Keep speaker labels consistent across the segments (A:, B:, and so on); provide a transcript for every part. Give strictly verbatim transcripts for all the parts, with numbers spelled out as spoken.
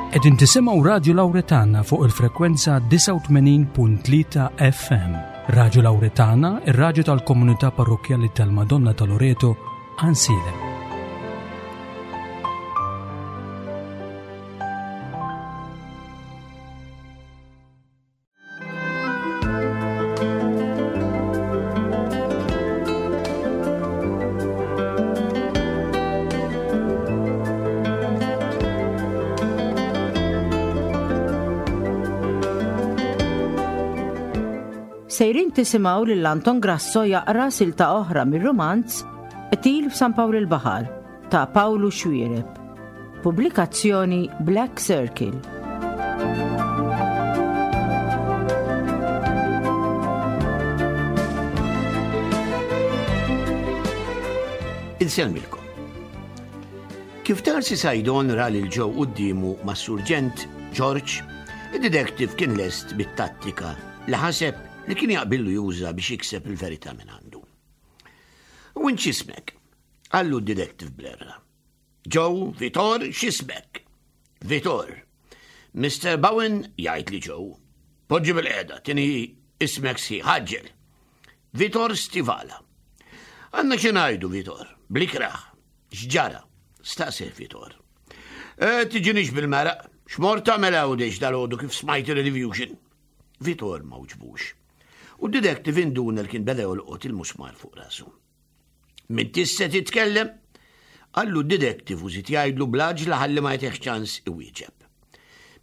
A: Qegħdin tisimgħu Radio Lauretana fuq il-frekwenza disgħa u tmenin punt tlieta F M. Radio Lauretana, ir-raġu tal-komunità parrokjali tal-Madonna ta' Loreto, Għajnsielem.
B: Sejrin tisimgħu lil Anton Grasso jaqra silta oħra mir-romanz Qtil f'San Pawl il-Baħar ta' Pawlu Xuereb. Pubblikazzjoni Black Circle.
C: Insellmilkom. Kif Darcy Saydon ra lil Joe quddiemu mas-surġent George, id-detective kien lest bit-tattika li ħaseb li kien jaqbillu juża biex jikseb il-verità minn għandu. "U int x'ismek?" qallu d-detective blerra. "Joe, Vitor, x'ismek?" "Vitor." "Mister Bowen jgħid li Joe." "Poġġi bilqiegħda, tini ismek sħiħ, għaġġel." "Vitor Stivala." "Għandna xi ngħidu, Vitor, bl-ikrah." "X'ġara?" staqsih Vitor. E, tiġinix bil-meraq, x'mort tagħmel Għawdex dalgħodu kif smajt il-Rediffusion?" Vitor ma wiġbux. U d-detective induna li kien beda jolqot il-musmar fuq rasu. "M'intix se titkellem?" qallu d-detective u żied jgħidlu bl-għaġla ħalli ma jtihx ċans iwieġeb.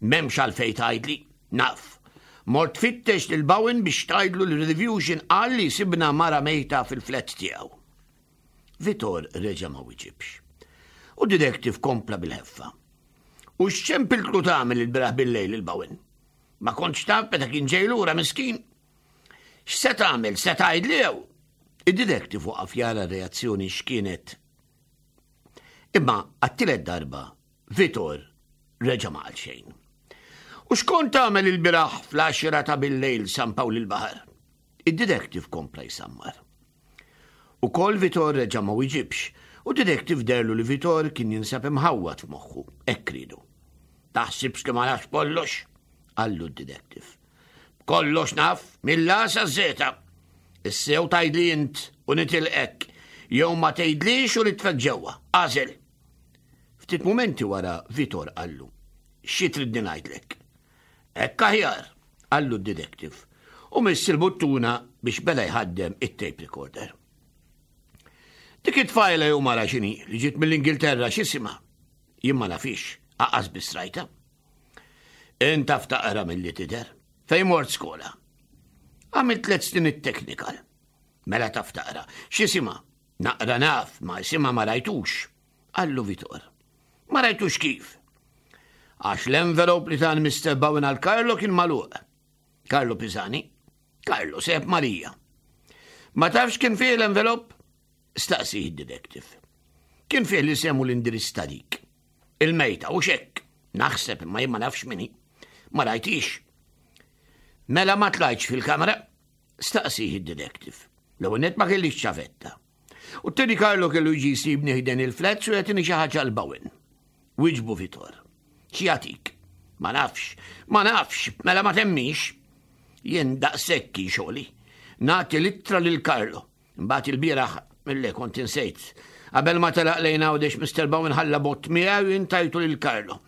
C: "M'hemmx għalfejn tgħidli, naf. Mort tfittex lil Bowen biex tgħidlu li Rediffusion qal li sibna mara mejta fil-flat tiegħu." Vitor reġa' ma wiġibx. U detective kompla bil-ħeffa. "U x'ċempiltlu tagħmel ilbieraħ bil-lejl lil Bowen? Ma kontx taf meta kien ġej lura miskin? X'se tagħmel, se tgħidli jew?" Id-detective waqaf jara reazzjoni x'kienet. Imma għat-tielet darba Vitor reġa' ma qal xejn. "U x'kont tagħmel ilbieraħ fl-għaxra ta' bil-lejl San Pawl il-Baħar?" Id-detective kompla jsammar. Ukoll Vitor reġa' ma wiġibx, u detective deherlu li Vitor kien jinsab imħawwad f'moħħu, hekk riedu. "Taħsibx li ma nafx kollox?" qallu d-detective. "Kollox naf, mill-A saż-Żeta. Issa jew tgħidli int u nitilqek, jew ma tgħidlix u nitfgħek ġewwa. Agħżel." Ftit momenti wara Vitor qallu: "Xi tridni ngħidlek?" "Hekk aħjar," qallu d-detective, u miss il-buttuna biex beda jħaddem it-tape recorder. "Dik it-tfajla jew mara x'inhi li ġiet mill-Ingilterra, x'isimha?" "Jien ma nafhiex, lanqas biss rajtha." "Int taf taqra milli tidher. Fejn mort skola?" "Għamilt tliet snin it-technical." "Mela taf taqra. X'isimha?" "Naqra naf, imma isimha ma rajtux," qallu Vitor. "Ma rajtux kif?" "Għax l-envelope li ta Mister Bowen għal Carlo kien magħluq." "Carlo Pisani?" "Carlo, sieħeb Marija." "Ma tafx kien fih l-envelope?" staqsieh id-detective. "Kien fih l-isem u l-indirizz ta' dik il-mejta, u xek. Naħseb, imma jien ma nafx min hi. Ma rajthiex." "Mela ma tlajtx fil-kamra?" staqsieh id-detective. "L-ewwel ma kellix ċavetta. U t-tieni Carlo kellu jiġi jsibni ħdejn il-flats u jagħtini xi ħaġa lil Bowen," wieġbu Vitor. "X'jagħtik?" "Ma nafx, ma nafx." "Mela ma temminx. Jien daqshekk kien xogħli. Nagħti l-ittra lil Carlo. Mbagħad ilbieraħ mill kont insejt. Qabel ma telaq lejn Għawdex Mister Bowen ħalla bott miegħu, jien tajtu lil Carlo.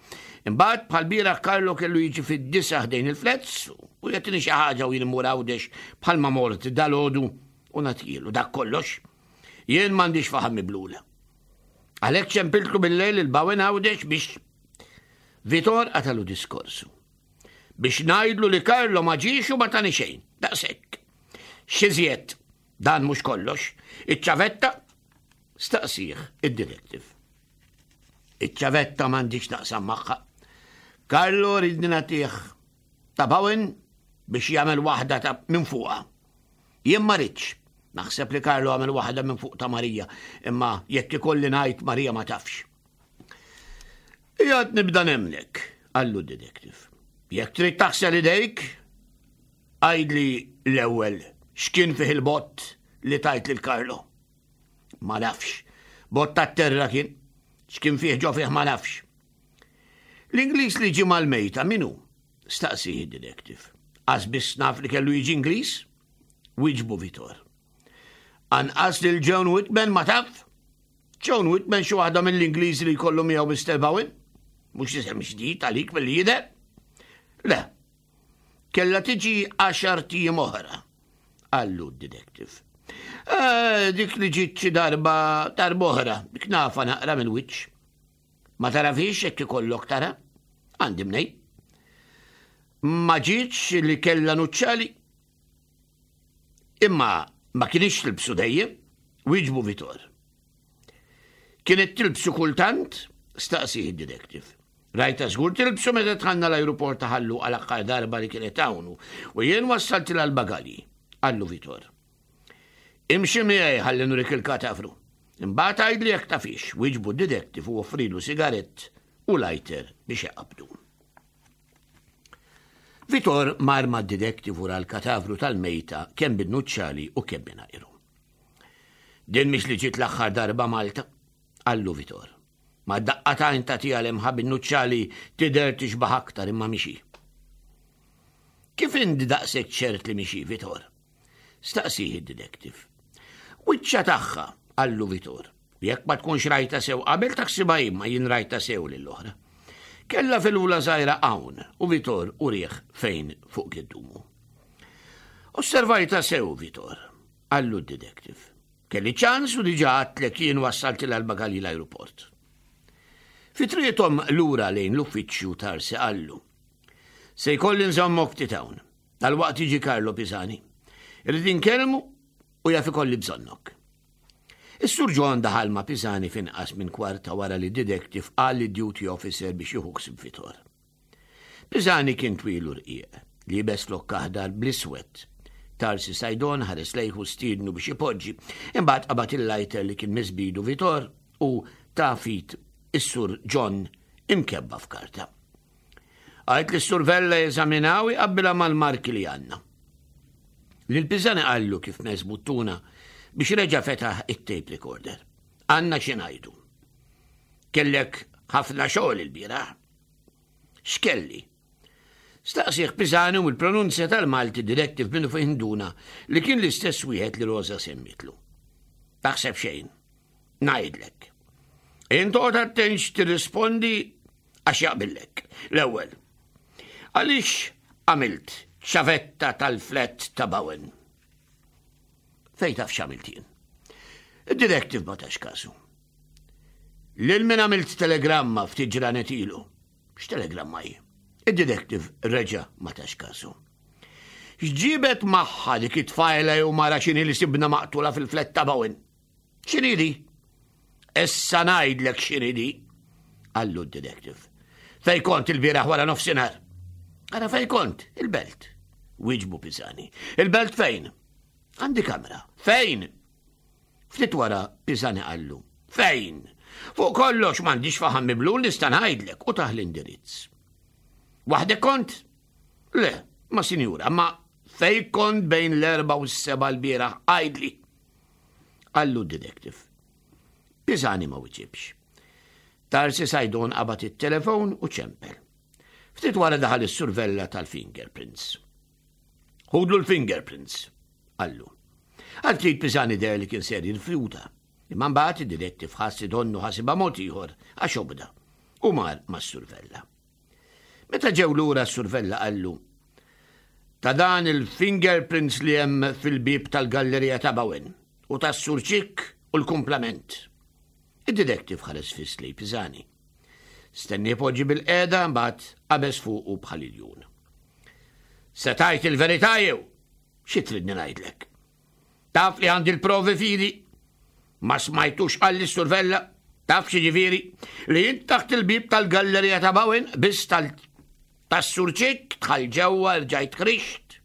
C: Imbagħad bħal-bieraħ Carlo kellu jiġi fid-disgħa ħdejn il-flats u jagħtini xi ħaġa u jien immur Għawdex bħalma mort dalgħodu u nagħtihielu. Dak kollox. Jien m'għandix faħam miblula. Għalhekk ċempiltlu bil-lejl lil Bowen Għawdex biex." Vitor qatagħlu diskorsu. "Biex ngħidlu li Carlo ma ġiex u ma tani xejn. Daqshekk. X'iżjed?" "Dan mhux kollox." "Iċ-ċavetta?" staqsieh id-detective. "Iċ-ċavetta m'għandix naqsam magħha. Carlo riedni nagħtih ta' Bowen biex jagħmel waħda ta' minn fuqha. Jien ma ridtx. Naħseb li Carlo għamel waħda minn fuq ta' Marija, imma jekk ikolli ngħid, Marija ma tafx." "Qiegħed nibda nemmnek," qallu d-detective. "Jekk trid taħsel idejk, għidli l-ewwel x'kien fih il-bott li tajt lil Carlo." "Ma nafx. Bott ta' terra kien. X'kien fih ġo fih ma nafx." L-Ingliż li ġie mal-mejta min hu? Staqsieh id-detective. Qas biss naf li kellu jiġi Ingliż? Wieġbu Vitor. Anqas lil Joan Whitman ma taf? Joan Whitman xi waħda mill-Ingliżi li jkollu miegħu Mister Bowen? Mhux isem ġdid għalik milli jidher? Le. Kella tiġi għaxar tijiem oħra, qallu d-detective. Eh, dik li ġiet xi darba darba oħra, dik nafa naqra minn wiċċ. Ma tarafix hekk ikollok tara? Għandi mnej. Ma ġietx li kella nuċċali. Imma ma kienx tilbsu dejjem, wieġbu Vitor. Kienet tilbsu kultant? Staqsih id-detective. Rajta żgur tilbsu meta dħalna l-ajruport ta' Ħal Luqa għal aħħar darba li kienet hawn u jien wassaltilha l-bagalji, qallu Vitor. Imxi miegħi ħalli nurik il-katafru. Imbagħad għidli jekk tafix, wieġbu d-detective u offrilu sigarett u lighter biex jaqbdu. Vitor mar ma' detective wara l-katavru tal-mejta kemm bin-nuċċali u kemm mingħajru. Din mhix li ġiet l-aħħar darba Malta, qallu Vitor. Ma daqqa t'għajn tagħtiha lemħa bin-nuċċali tidher tixbaħ aktar imma mhix hi. Kif inti daqshekk ċert li mhix hi, Vitor? Staqsih id-detective. Wiċċha tagħha, qallu Vitor. Jekk ma tkunx rajta sew qabel taħsibha imma jien rajta sew lill-oħra. Kella fil-ula żgħira hawn u Vitor urieh fejn fuq giddumu. Osservajta sew, Vitor, qallu d-detective. Kelli ċans u diġà għedtlek jien wassaltilha l-bagalji l-aeroport. Fi triqthom lura lejn l-uffiċċju Tarsi qallu. Se jkolli nżommok ftit hawn. Dalwaqt jiġi Carlo Pisani. Irrid inkellmu u jaf ikolli bżonnok. Is-Sur John daħal ma' Pisani f'inqas minn kwarta wara li detective qal lid-duty officer biex jieħu ħsieb Vitor. Pisani kien twil u rqiq, liebes flokk aħdar bl-iswed. Tarsi Sajdon ħares lejh u stiednu biex ipoġġi, imbagħad qabad il-lighter li kien miss b'idu Vitor u ta f'id is-Sur John imkebba f'karta. Għid lis-Sur Vella jeżaminaha u jqabbilha mal-marki li għandna. Lil Pisani qallu kif mess buttuna biex reġa' fetaħ it-tape recorder. Għandna xi ngħidu. Kellek ħafna xogħol il-bieraħ. X'kelli? Staqsieh Pisani u l-pronunzja tal-Malti detective minnufih induna li kien l-istess wieħed li Rosa semmitlu. Taħseb xejn. Ngħidlek. Int oqgħod attent tirrispondi għax jaqbillek. L-ewwel. Għaliex għamilt ċavetta tal-flat ta' Bowen? Fejn taf x'għamilt jien? Id-detective ma tax kasu. Lil min għamilt telegramma ftit ġranet ilu. X'telegramma hi? Id-detective reġa' ma tax kasu. X'ġibet magħha dik it-tfajla jew mara x'inhi li sibna maqtula fil-flat ta' Bowen? X'inhi di? Issa ngħidlek x'inhi di, qallu d-detective. Fejn kont il-bieraħ wara nofsinhar? Ara fejn kont? Il-belt. Wieġbu Pisani. Il-belt fejn? Għandi kamra. Fejn? Ftit wara Pisani qallu. Fejn? Fuq kollox m'għandix faħam miblu nista' ngħidlek u tah l-indirizz. Waħdek kont? Le, ma sinjura, ma fejn kont bejn l-erba u s-seba l-bieraħ għidli. Qallu d-detective. Pisani ma wiġibx. Tarsi Sajdon qabad it-telefon u ċempel. Ftit wara daħal is-Sur Vella tal-fingerprints. Ħudlu l-fingerprints, qallu. Għal ftit Pisani deher li kien ser jirrifjuta. Imma mbagħad id-detective ħass donnu ħasibha mod ieħor għax obda u mar mas-Sur Vella. Meta ġew lura s-Sur Vella qallu ta' dan il-fingerprints li hemm fil-bib tal-gallerija ta' Bowen u tas-Sur Ċikk u l-kumplament. Id-detective ħares fiss lejn Pisani. Stennieh ipoġġi bilqiegħda mbagħad qabeż fuqu bħal iljun. Se tgħid il-verità jew? Xi tridni ngħidlek? Taf li għandi l-provi f'idi? Ma smajtux qalli s-Sur Vella? Taf xi ġifieri? Li jint taħt il-bib tal-gallerija ta' Bowen biss tal tas-Sur Ċikk dħalt ġewwa rġajt ħriġt.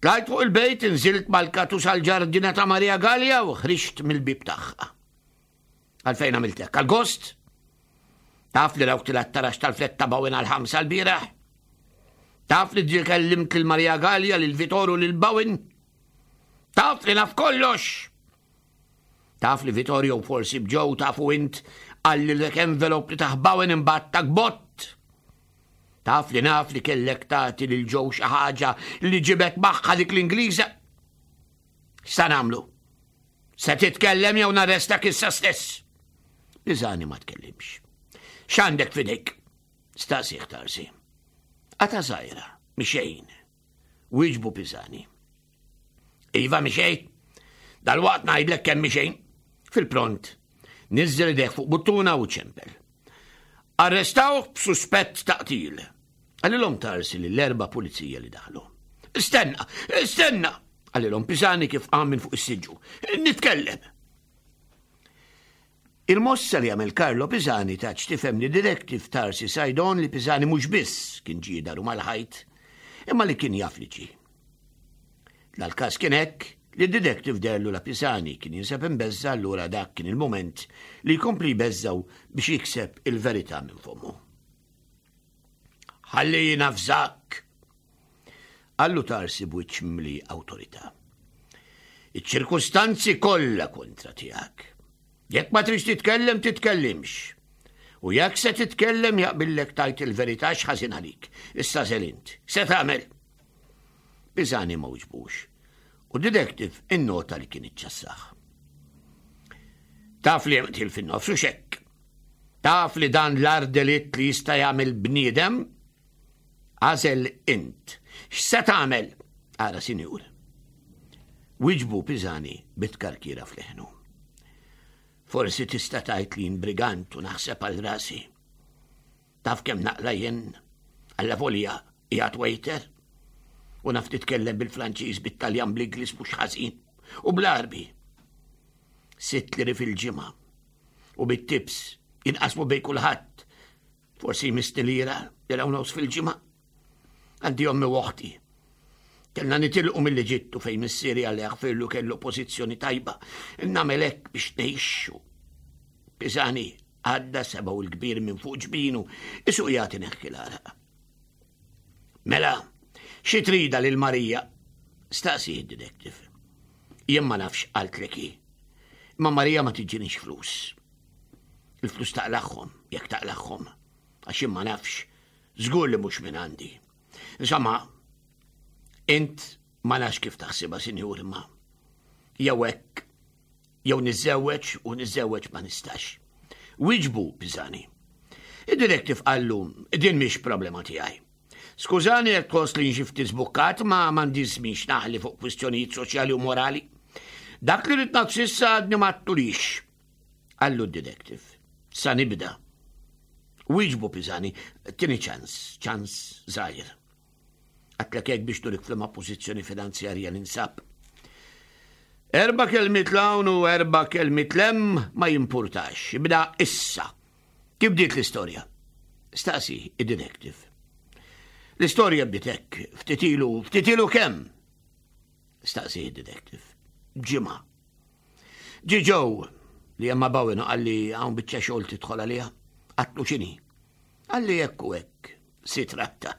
C: Tlajt fuq il-bejt inżilt mal-katus għal-ġardina ta' Maria Gallia u ħriġt mill-bib tagħha. Għalfejn għamiltek? Għal-gost? Taf li rawk tilgħa t-taraġ tal-flat ta' Bowen għal-ħamsa l-bieraħ? Taf li ġie kellimt lil Maria Gallia, lil Vittorio, lil Bowen? Taf li naf kollox? Taf li Vittorio forsi b'Joe tafu int Qalli dak envelope li tah Bowen imbagħad tak bott. Taf li naf li kellek tagħti lil Joe xi ħaġa li ġibet magħha dik l-Ingliża. X'sa nagħmlu? Se titkellem jew narrestak issa stess? Pisani ma tkellimx. X'għandek f'idejk? Staqsieh Tarsi. Qatgħa żgħira, mhi xejn. Wieġbu Pisani. Iva mhi xejn. Dal-waqt ngħidlek kemm mhi xejn. Fil-pront, niżżel idejh fuq buttuna u ċempel. Arrestawh b'suspett ta' qtil. Qalilhom Tarsi lill-erba' pulizija li daħlu. Stenna, stenna, qalilhom Pisani kif qam minn fuq is-siġġu. Nitkellem. Il-mossa li għamel Carlo Pisani ta tifhem lid-detective Tarsi Saydon li Pisani mhux biss kien ġie daru mal-ħajt, imma li kien jaf li ġie. Dal-każ kien hekk li d-detective deherlu la Pisani kien jinsab imbeżża', allura dak kien il-moment li jkompli jbeżżgħu biex jikseb il-verità minn fommu. Ħalli nafżak, qallu Tarsi b'wiċċ mimli awtorità. Iċ-ċirkustanzi kollha kontra tiegħek. Jekk ma tridx titkellem, titkellimx. U jekk se titkellem jaqbillek tgħid il-verità x'ħażin għalik. Issa agħżel int. Se tagħmel? Pisani ma wiġbux. U detective innota li kien iċċassah. Taf li qtil fin-nofs u xekk. Taf li dan l-agħar delitt li jista' jagħmel bniedem? Agħżel int. X'se tagħmel? Ara, sinjur. Wieġbu Pisani bit-tkarkira f'leħnu. Forsi tista' tgħid li brigant u naħseb għal rasi. Taf kemm naqla' jien allavolja qiegħed waiter u naf titkellem bil-Franċiż, bit-Taljan, bl-Ingliż mhux ħażin u bl-Għarbi. Sitt liri fil-ġimgħa u bit-tips jinqasmu bejn kulħadd. Forsi jmissni lira, lira u nofs fil-ġimgħa. Għandi ommi u oħti. Kellna nitilqu mill-Eġittu fejn missieri Alla jaħfirlu kellu pożizzjoni tajba. Nagħmel hekk biex ngħixu. Pisani għadda sebgħu l-kbir minn fuq ġbinu, qisu jagħti neħki l-għaraq. Mela, xi trida lil Marija? Staqsi d-detective. Jien ma nafx qaltlek hi. Imma Marija ma tiġinix flus. Il-flus taqlagħhom, jekk taqlagħhom. Għax jien ma nafx, żgur li mhux minn għandi. Insomma, int ma nafx kif taħsibha, sinjur, imma jew hekk, jew niżżewweġ u niżżewweġ ma nistax. Wieġbu Pisani. Id-detective qallu, din mhix problema tiegħi. Skużani jekk tħoss li xi ftit żbukkat, ma m'għandix żmien naħli fuq kwistjonijiet soċjali u morali. Dak li rrid s'issa għadni ma għedtulix. Qallu d-detective. Sa nibda. Wieġbu Pisani, tini ċans, ċans żgħir. Għedtlek hekk biex nurik f'liema pożizzjoni finanzjarja ninsab. Erba' kelmiet 'l hawn u erba' kelmiet 'l hemm ma jimpurtax. Ibda issa. Kif bdiet l-istorja? Staqsi id-detective. L-istorja bdiet hekk, ftit ilu, ftit ilu kemm? Staqsi id-detective. Ġimgħa. Ġie Joe li hemm ma' Bowen qalli hawn biċċa xogħol tidħol għaliha. Għedtlu x'inhi? Qalli hekk u hekk, si tratta.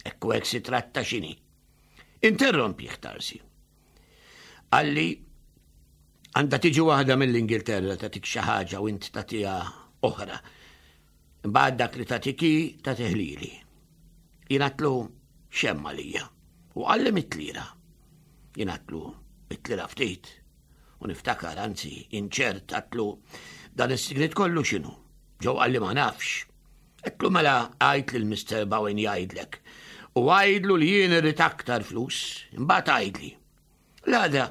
C: Hekk u hekk si tratta x'inhi? Interrompieh Tarsi. Qalli għandha tiġi waħda mill-Ingilterra tagħtik xi ħaġa u int tagħtiha oħra. Imbagħad dak li tagħtik hi tagħtih lili. Jien għedtlu x'hemm għalija. U qalli mitt lira. Jien għedtlu mitt lira ftit. U niftakar, anzi, inċert għedtlu dan is-sigriet kollu x'inhu. Joe qalli ma nafx. Għedtlu mela għid lil Mister Bowen jgħidlek. U għidlu li jien irrid aktar flus, imbagħad għidli. L-għada,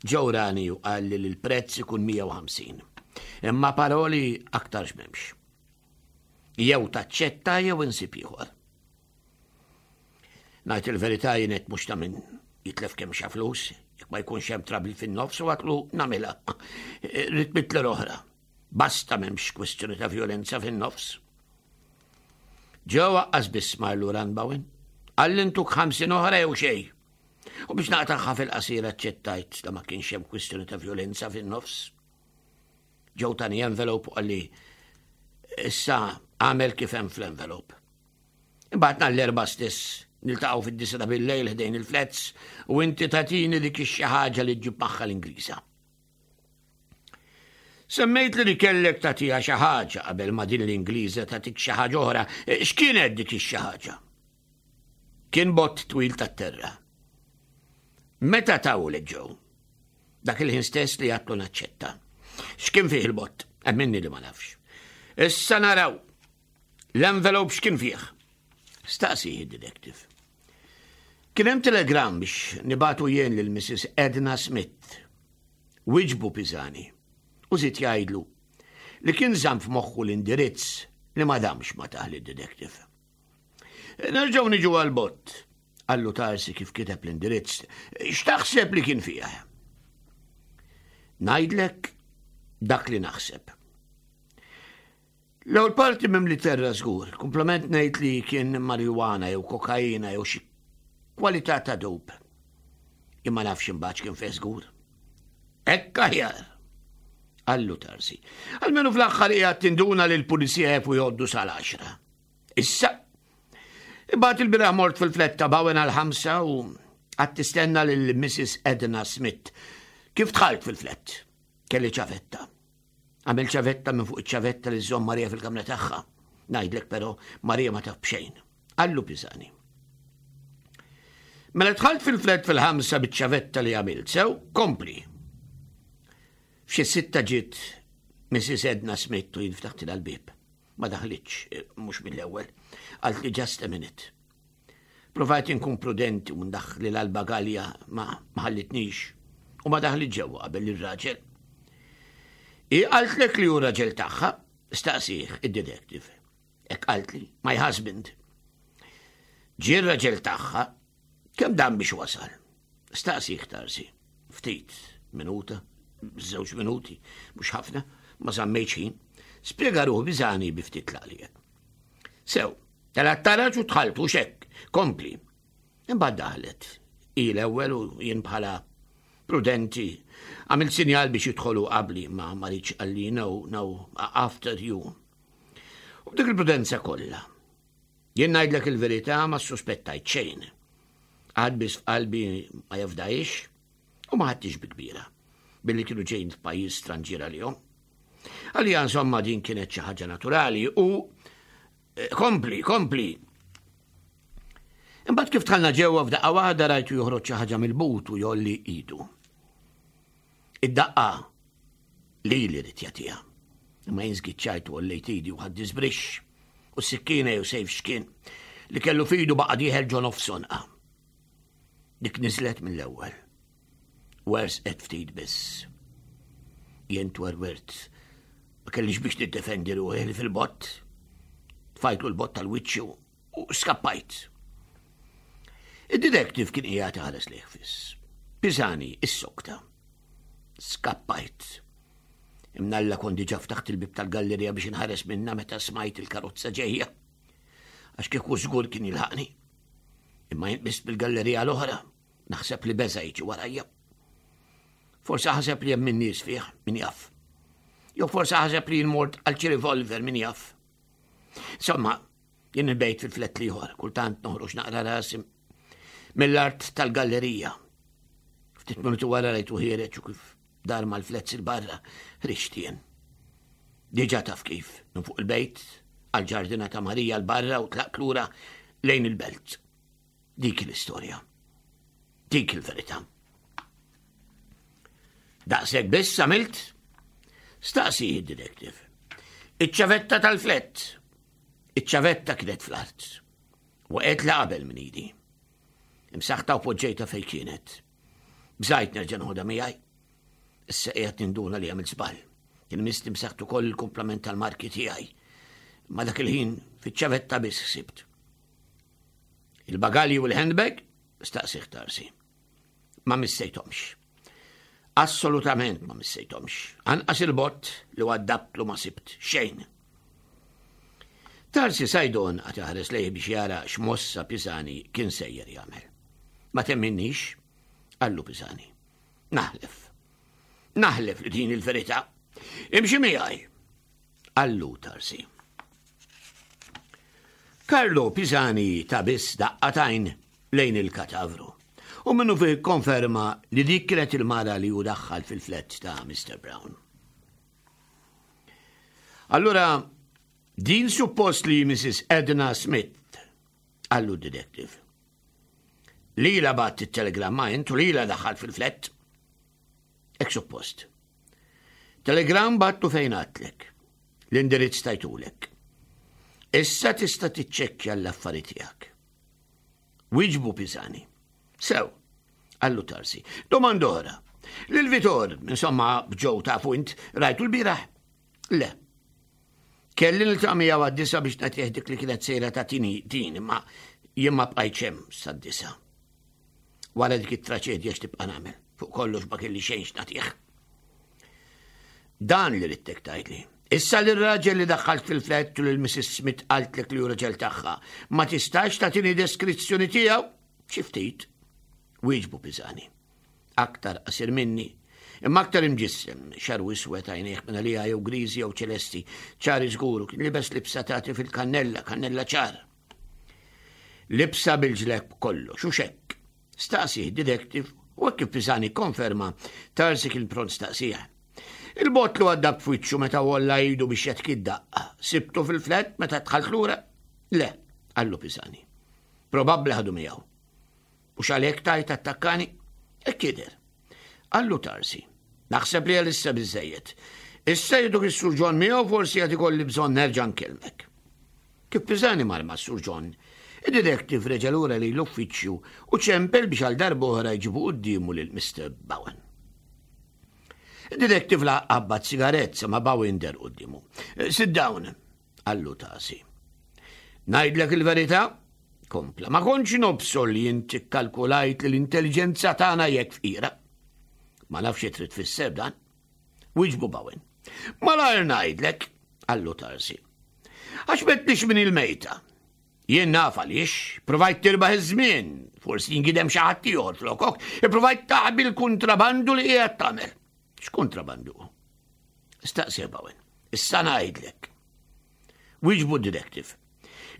C: Joe rani u qalli li l-prezz ikun mija u ħamsin. Imma paroli aktar m'hemmx. Jew taċċetta jew insib ieħor. Ngħid il-verità jien mhux ta' min jitlef kemm xa flus, jekk ma jkunx hemm trouble fin-nofs u għedtlu nagħmilha. Irrid mitt lira oħra. Basta m'hemmx kwestjoni ta' violenza fin-nofs. Joe lanqas biss mar lura Bowen. Qalli ntuk ħamsin oħra jew xejn. U biex naqtagħha fil-qasira aċċettajt la ma kienx hemm kwistjoni ta' violenza fin-nofs. Joe tani envelope u qalli issa għamel kif hemm fl-envelope. Imbagħad nhar l-Erbgħa stess niltaqgħu fid-disgħa ta' bil-lejl ħdejn il-flats u inti tagħtini dik xi ħaġa li ġġib magħha l-Ingliża. Semmejt li kellek tagħtiha xi ħaġa qabel ma din l-Ingliża tagħtik xi ħaġa oħra. X'kienet dik ix-xi ħaġa? Kien bott twil tat-terra. Meta tawlek Joe? Dak il-ħin stess li għedtlu naċċetta. X'kien fih il-bott? Emminni li ma nafx. Issa naraw. L-envelope x'kien fih? Staqsi id-detective. Kien hemm telegram biex nibagħtu jien lil Missus Edna Smith. Wiġbu Pisani. U żied jgħidlu li kien żamm f'moħħu l-indirizz li ma damx ma tah lid-detective. Nerġgħu niġu għal-bott, qallu Tarsi kif kiteb l-indirizz. X'taħseb li kien fih? Ngħidlek dak li naħseb. L-ewwel parti mimli terra żgur, kumplament ngħid li kien marijuana jew kokaina jew xi kwalità ta' dope. Imma nafx imbagħad kien fih żgur. Hekk aħjar. Qallu Tarsi. Almenu fl-aħħar qiegħed tinduna li l-pulizija jafu jgħoddu sal-għaxra. Issa, imbagħad il-bieraħ mort fil-flat ta' Bowen għal-ħamsa u qgħadt tistenna lil Missus Edna Smith. Kif dħalt fil-flat? Kelli ċavetta. Għamilt ċavetta minn fuq iċ-ċavetta li żżomm Marija fil-kamra tagħha. Ngħidlek però Marija ma taf b'xejn. Qallu Pisani. Mela dħalt fil-flat fil-ħamsa biċ-ċavetta li għamilt sew, kompli. F'xi sitta ġiet Missus Edna Smith u jien ftaħtilha l-bieb. Ma daħlitx, eh, mhux mill-ewwel. Qaltli "Just a minute." Provajt inkun prudenti u ndaħħlilha l-bagalja, ma ħallitnix. U ma daħlit ġewwa qabel ir-raġel. Hi qaltlek li hu raġel tagħha? Staqsih id-detective. Hekk qaltli, "My husband." Ġie raġel tagħha, kemm dam biex wasal? Staqsih Tarsi. Ftit, minuta, żewġ minuti, mhux ħafna, ma żammejtx ħin. Spjega ruħu Pisani bi ftit tlaqliq. Sew, telgħet taraġ u dħaltu xek, kompli. Imbagħad daħlet. Hi l-ewwel u jien bħala prudenti. Għamilt sinjal biex jidħolu qabli, ma ma riedx, qalli "No, no, after you." U b'dik il-prudenza kollha. Jien ngħidlek il-verità, ma suspettajt xejn. Għad biss f'qalbi ma jafdajx u ma ħadtix bi kbira billi kienu ġejn f'pajjiż stranġier għalihom. Għalija insomma din kienet xi ħaġa naturali u eh, kompli, kompli. Imbagħad kif dħalna ġewwa, f'daqqa waħda rajtu joħroġ xi ħaġa mill-but u jgħolli idu. Id-daqqa li li ried jagħtiha. Imma jien żgiċċajt u għollejt idi u ħadt żbrixx u s-sikkina jew sejf x'kien li kellu f'idu baqa' dieħel ġo nofs għonqha. Dik niżlet mill-ewwel. Werżqet ftit biss. Jien twerwirt. Ma kellix biex niddefendi ruħi fil-bott. Tfajtlu l-bott tal-wiċċu u skappajt. Id-detective kien qiegħed iħares lejh fiss. Pisani issokta. Skappajt. Imnalla kont diġà ftaħt il-bib tal-gallerija biex inħares minna meta smajt il-karozza ġejja. Għax kieku żgur kien jilħaqni. Imma jien biss bil-gallerija l-oħra, naħseb li beża jiġi warajja. Forse ħaseb li hemm min-nies fih, min jaf. Jew forse ħaseb li jien mort għal xi revolver, min jaf. Insomma, jien il-bejt fil-flat l-ieħor, kultant noħroġ naqra rasi mill-art tal-gallerija. Ftit minuti wara rajtu ħiereġ u kif dar mal-flats il-barra, ħriġt jien. Diġà taf kif, minn fuq il-bejt, għal-ġardina ta' Marija l-barra u tlaqt lura lejn il-belt. Dik l-istorja. Dik il-verità. Daqshekk biss għamilt? Staqsi id-detective. Iċ-ċavetta tal-flat. Iċ-ċavetta kienet fl-art. Waqgħet la qabel minn idi. Imsaħta u poġġejta fej kienet. Bżajt nerġa' noħodha miegħi. Issa qiegħed ninduna li għamilt żball. Kien misni msaħt ukoll il-kumplament tal-marki tiegħi. Ma dak il-ħin fiċ-ċavetta biss ħsibt. Il-bagalji u l-handbag? Staqsih Tarsi. Ma missejthomx. Assolutament ma missejthomx. Anqas il-bott li waddabtlu ma sibt xejn. Tarsi Sajdon qagħad iħares lejh biex jara x'mossa Pisani kien sejjer jagħmel. "Ma temminnix?" qallu Pisani. "Naħlef. Naħlef li din il-verità. Imxi miegħi," qallu Tarsi. Carlo Pisani ta biss daqqa t'għajn lejn il-katavru. U minnu fih konferma li dik kienet il-mara li hu daħħal fil-flat ta' Mister Brown. Allura, din suppost li Missus Edna Smith, qallu d-detective. Lilha bgħatt it-telegramma int u lilha daħħalt fil-flat. Hekk suppost. Telegram bgħattu fejn għedtlek. L-indirizz tajtulek. Issa tista' tiċċekkja l-affari tiegħek. Wieġbu Pisani. Sew, qallu Tarsi. Domanda oħra. Lil Vitor, insomma, Joe tafu int, rajtu l-bieraħ? Le. Kelli niltaqa' miegħu għad-disgħa biex nagħtih dik li kienet sejra tagħtini din, imma jien ma bqajtx hemm sad-disgħa. Wara dik it-traċedja x'tibqa' nagħmel? Fuq kollox ma kelli xejn x'nagħtih. Dan li ridtek tgħidli. Issa li raġel li daħħalt fil-flat u lil Missus Smith qaltlek li hu raġel tagħha, ma tistax tagħtini deskrizzjoni tiegħu? Xi ftit. Wieġbu Pisani. Aktar qasir minni, imma aktar imġissem, xagħru iswed, għajnejh minn għalija jew griżi jew ċelesti, ċari żguru, kien libes libsa tagħti fil-kannella, kannella ċar. Libsa bil-ġleb kollox, u xekk. Staqsih detective u kif Pisani konferma, Tarsi kien pront staqsih. Il-bott li għadda b'wiċċu meta għolla idu biex jagħtik id-daqqa. Sibtu fil-flat meta dħalt lura? Le, qallu Pisani. Probabbli ħadu miegħu. U x'għalhekk tajt attakkani? Hekk jidher. Qallu Tarsi. Naħseb li għalissa biżżejjed. Issa jiduk is-Sur John miegħu, forsi għad ikolli bżonn nerġa' nkellmek. Kif Pisani mar ma' Sur John, id-detective reġa' lura li l-uffiċċju u ċempel biex għal darba oħra jġibu quddiemu lil Mister Bowen. Id-detective la qabbad sigarett ma Bowen deher quddiemu. "Sit down," qallu Tarsi. "Ngħidlek il-verità?" kompla. "Ma kontx nobsor li inti kalkulajt li l-intelligenza tagħna jekk fqira." "Ma nafx trid tfisser dan." Wieġbu Bowen. "Malajr ngħidlek," qallu Tarsi. "Għax m'għedtlix min il-mejta. Jien naf għaliex, provajt tirbaħ iż-żmien, forsi jingidem xi ħadd ieħor flokok, provajt taħbi l-kontrabandu li qiegħed tagħmel." "X'kontrabandu?" staqsi Bowen. "Issa ngħidlek." Wieġbu detective.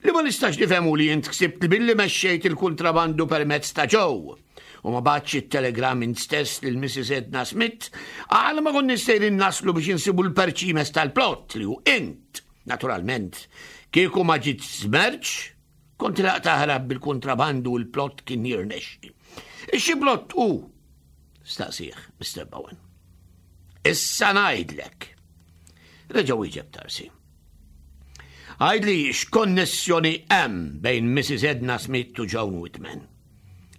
C: "Li ma nistax nifhemu li int ksibt li billi mexxejt il-kontrabandu permezz ta' Joe u ma bgħattx it-telegram int stess lil Missus Edna Smith, għal ma konna sejrin naslu biex insibu l-perċimes tal-plot li hu int. Naturalment, kieku ma ġiet smerċ, kont laqt taħrab bil-kontrabandu u l-plot kien jirnexxi." "Xi plot hu?" staqsih Mister Bowen. "Issa ngħidlek." Reġa' wieġeb Tarsi. "Għidli x'konnessjoni hemm bejn Missus Edna Smith u Joan Whitman.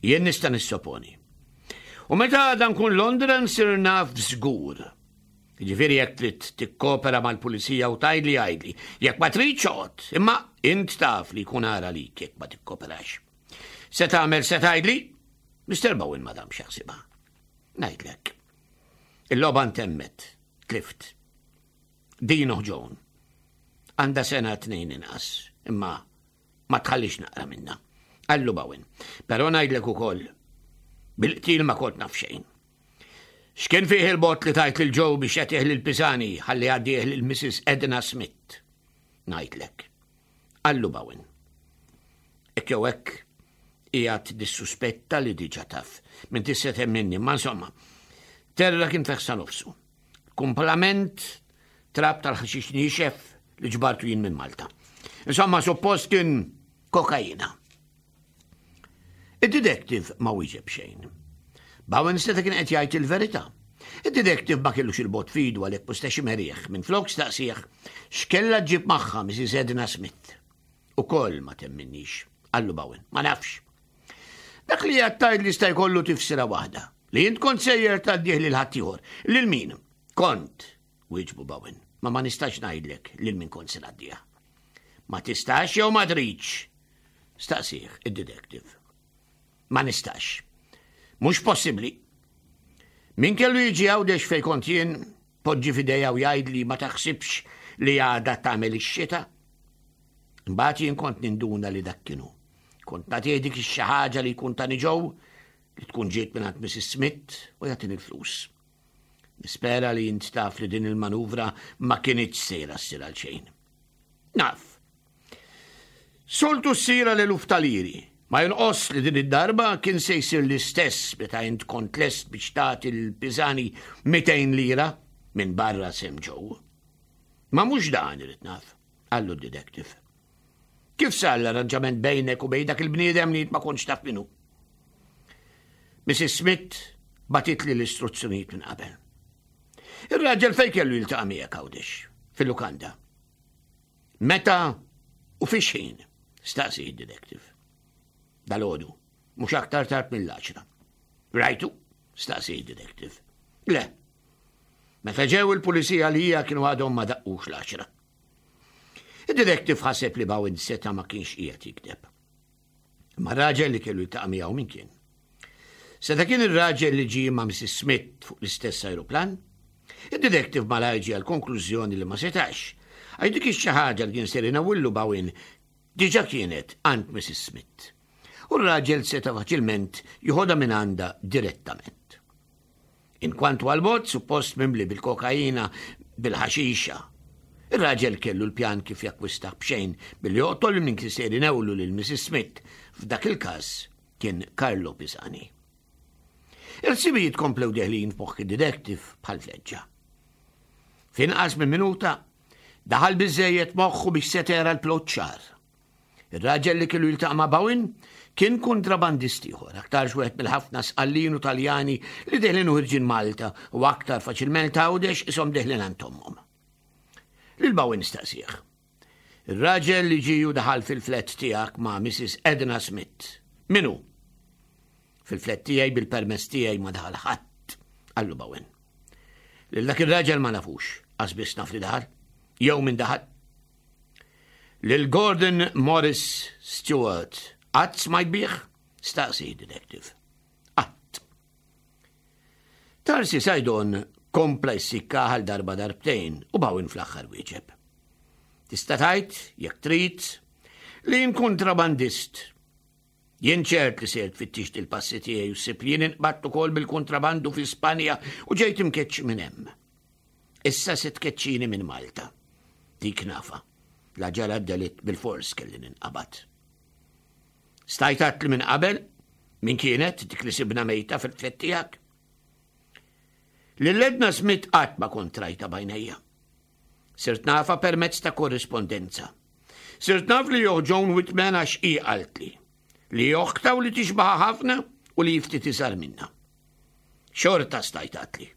C: Jien nista' nissoponi. U meta dan kun Londra nsir naf żgur. Ġifieri jekk trid tikkopera mal-pulizija u tgħidli, għidli. Jekk ma tridx, oqgħod, imma int taf li jkun ara lik jekk ma tikkoperax. Se tagħmel, se tgħidli?" Mister Bowen ma damx jaħsibha. "Ngħidlek. Il-logħba ntemmet, tlift. Din Joan. Għandha sena tnejn inqas, imma ma tħallix naqra minna," qallu Bowen. "Però ngħidlek ukoll, bil-qtil ma kont naf xejn. X'kien fih il-bott li tajt lil Joe biex jagħtih lil Pisani ħalli jgħaddih lil Missus Edna Smith?" "Ngħidlek," qallu Bowen. "Hekk jew hekk qiegħed nissuspetta li diġà taf. Min tista' temminni, ma insomma. Terra kien feħsa nofsu. Kumplament trab tal-ħaxix niexef li ġbartu jien minn Malta. Insomma, suppost kien kokaina." Id-detective ma wieġeb xejn. Bowen seta' kien qed jgħid il-verità. Id-detective ma kellux il-bott f'idu, għalhekk mustax imerih. Minflok staqsih x'kella ġib magħha Missus Edna Smith. "Ukoll ma temminnix," qallu Bowen. "Ma nafx. Dak li għattajt li sta jkollu tifsira waħda. Li int kont sejjer tgħaddih lil ħaddieħor. Lil min?" "Kont," wieġbu Bowen. "Ma ma nistax ngħidlek lil min kont se ngħaddiha." "Ma tistax jew ma tridx?" staqsih id-detective. "Ma nistax. Mhux possibbli. Min kellu jiġi Għawdex fej kont jien, poġġi f'idejja u jgħid li ma taħsibx li għada tagħmel ix-xita? Mbagħad jien kont ninduna li dak kienu. Kont nagħtih dik ix-xi ħaġa li jkun tani Joe, li tkun ġiet minn Missus Smith, u jagħtini l-flus. Nispera li int taf li din il-manuvra ma kinitx sejra ssir għal xejn." "Naf. Soltu ssir l-eluf ta' liri. Ma jonqos li din id-darba kien se jsir l-istess meta int kont lest biex tagħti l-Pisani mitejn lira minn barra sehem Joe. Ma mhux dan irrid naf, qallu d-detective. Kif sar l-arranġament bejnek u bejn dak il-bniedem li ma kontx taf min hu? Missus Smith bagħtitli l-istruzzjonijiet minn qabel. Ir-raġel fejn kellu jiltaqa' miegħek Għawdex? Fil-lukanda. Meta u fi x'ħin? Staqsi d-detective. Dalgħodu, mhux aktar tard mill-għaxra. Rajtu? Staqsi d-detective. Le. Meta ġew il-pulizija li hija kienu għadhom ma daqqux l-għaxra. Id-detective ħaseb li Bowen seta ma kienx qiegħed jikdeb. Ma raġel li kellu jiltaqa' miegħu min kien? Seta kien ir-raġel li ġie ma' Missus Smith fuq l-istess aeroplan? Id-detective malajr ġie għal konklużjoni li ma setax. Għax dik xi ħaġa li kien ser inawillu Bowen diġà kienet għand Missus Smith. U r-raġel seta faċilment joħodha minn għandha direttament. Inkwantu għal-bot suppost mimli bil-kokaina, bil-ħaxixa. Ir-raġel kellu l-pjan kif jakkwista b'xejn billi joqtol minn kien ser inewlu lil Missus Smith, f'dak il-każ kien Carlo Pisani. Il-ħsibijiet komplew deħlin f'moħħ id-detective bħal fleġġa. F'inqas minn minuta, daħal biżejjed moħħu biex seta jara l-plot ċar. Ir-raġel li kellu jiltaqa' ma' Bowen kien kontrabandist ieħor, aktarx wieħed mill-ħafna Sqallin u Taljani li deħlin u ħirġin Malta u aktar faċilment Għawdex ishom deħlin għand ommhom. Lil Bowen staqsih. Ir-raġel li ġie u daħal fil-flat tiegħek ma' Missus Edna Smith. Min hu? Fil-flat tiegħi bil-permess tiegħi ma daħal ħadd, qallu Bowen. Lil dak ir-raġel ma nafux, qas biss naf li daħal, jew min daħal. Lil Gordon Morris Stewart, qatt smajt bih? Staqsi detective. Qatt. Tarsi Sajdon kompla jissikka għal darba darbtejn u Bowen fl-aħħar wieġeb. Tista' tgħid, jekk trid, li jien kontrabandist. Jien ċert li ser tfittixt il-passi tiegħi u ssib li jien inqbadt ukoll bil-kontrabandu fi Spanja u ġejt imkeċċi minn hemm. Issa se tkeċċini minn Malta. Dik nafa. La ġara delitt bil-fors kelli ninqabad. Stajt li minn qabel, min kienet dik li sibna mejta fil-flat tiegħek? Lil Edna Smith qatt ma kont rajtha b'għajnejja. Sirt nafa permezz ta' korrispondenza. Sirt naf li joħ Joan Whitman għax i qaltli li oħtha u li tixbaha ħafna u li ftit iżgħar minna. Xorta stajt għedtli.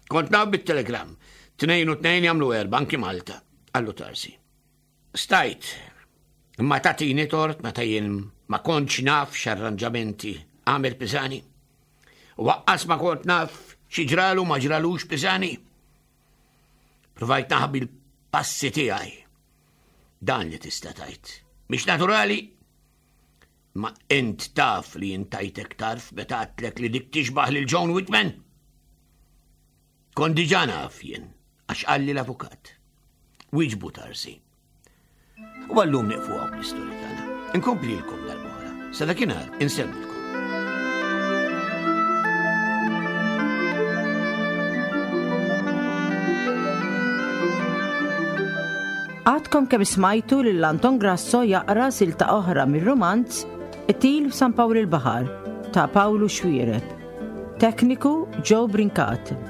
C: Kont naf bit-telegram, tnejn u tnejn jagħmlu erba' anki Malta, qallu Tarsi. Stajt, imma tagħtini tort meta jien ma kontx naf x'arranġamenti għamel Pisani. U lanqas ma kont naf xi ġralu ma ġralux Pisani. Provajt naħbi l-passi tiegħi. Dan li tista' tgħid. Mhix naturali? Ma int taf li jien tajtek tarf meta għedtlek li dik tixbaħ lil Joan Whitman? Kont diġà naf jien, għax qalli l-avukat. Wieġbu Tarsi. U għallum nieqfu hawn l-istorja tagħna. Inkomplilkom darb'oħra. Sa dakinhar insellmilkom.
B: Għadkom kemm smajtu lil Anton Grasso jaqra silta oħra mir-romanz Qtil f'San Pawl il-Baħar ta' Pawlu Xuereb. Tekniku Joe Brincat.